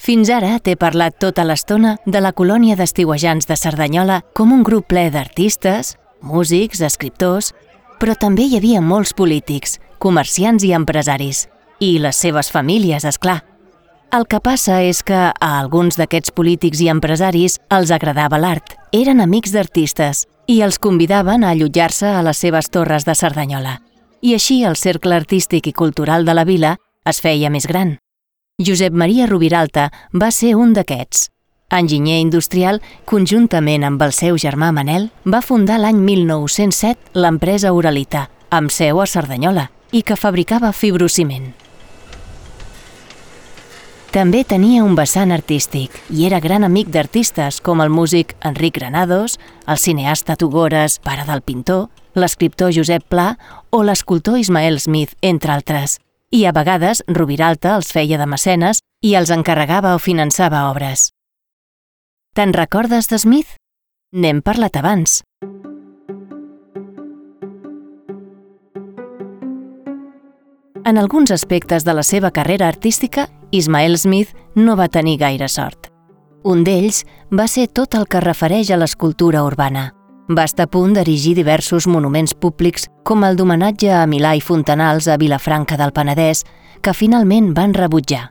Fins ara t'he parlat tota l'estona de la colònia d'estiuejants de Cerdanyola com un grup ple d'artistes, músics, escriptors, però també hi havia molts polítics, comerciants i empresaris, i les seves famílies, és clar. El que passa és que a alguns d'aquests polítics i empresaris els agradava l'art, eren amics d'artistes i els convidaven a allotjar-se a les seves torres de Cerdanyola. I així el cercle artístic i cultural de la vila es feia més gran. Josep Maria Rubiralta va ser un d'aquests. Enginyer industrial, conjuntament amb el seu germà Manel, va fundar l'any 1907 l'empresa Uralita, amb seu a Cerdanyola, i que fabricava fibrociment. També tenia un vessant artístic i era gran amic d'artistes com el músic Enric Granados, el cineasta Tugores, pare del pintor, l'escriptor Josep Pla o l'escultor Ismael Smith, entre altres. I a vegades Rubiralta els feia de mecenes i els encarregava o finançava obres. Te'n recordes de Smith? N'hem parlat abans. En alguns aspectes de la seva carrera artística, Ismael Smith no va tenir gaire sort. Un d'ells va ser tot el que refereix a l'escultura urbana. Va estar a punt d'erigir diversos monuments públics com el d'homenatge a Milà i Fontanals a Vilafranca del Penedès, que finalment van rebutjar.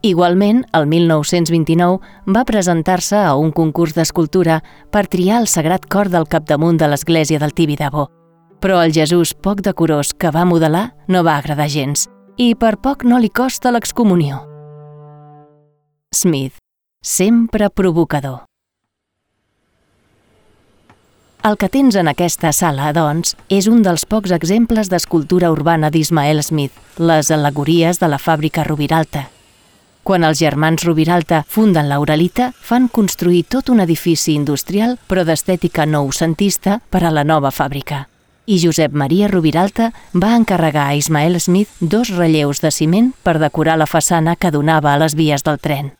Igualment, el 1929 va presentar-se a un concurs d'escultura per triar el Sagrat Cor del capdamunt de l'església del Tibidabo. Però el Jesús poc decorós que va modelar no va agradar gens, i per poc no li costa l'excomunió. Smith, sempre provocador. El que tens en aquesta sala, doncs, és un dels pocs exemples d'escultura urbana d'Ismael Smith, les al·legories de la fàbrica Rubiralta. Quan els germans Rubiralta funden la Uralita, fan construir tot un edifici industrial però d'estètica noucentista per a la nova fàbrica. I Josep Maria Rubiralta va encarregar a Ismael Smith 2 relleus de ciment per decorar la façana que donava a les vies del tren.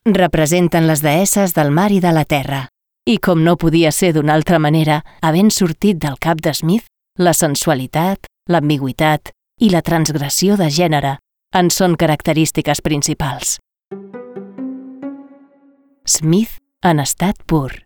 Representen les deesses del mar i de la terra. I com no podia ser d'una altra manera, havent sortit del cap de Smith, la sensualitat, l'ambigüitat i la transgressió de gènere en són característiques principals. Smith en estat pur.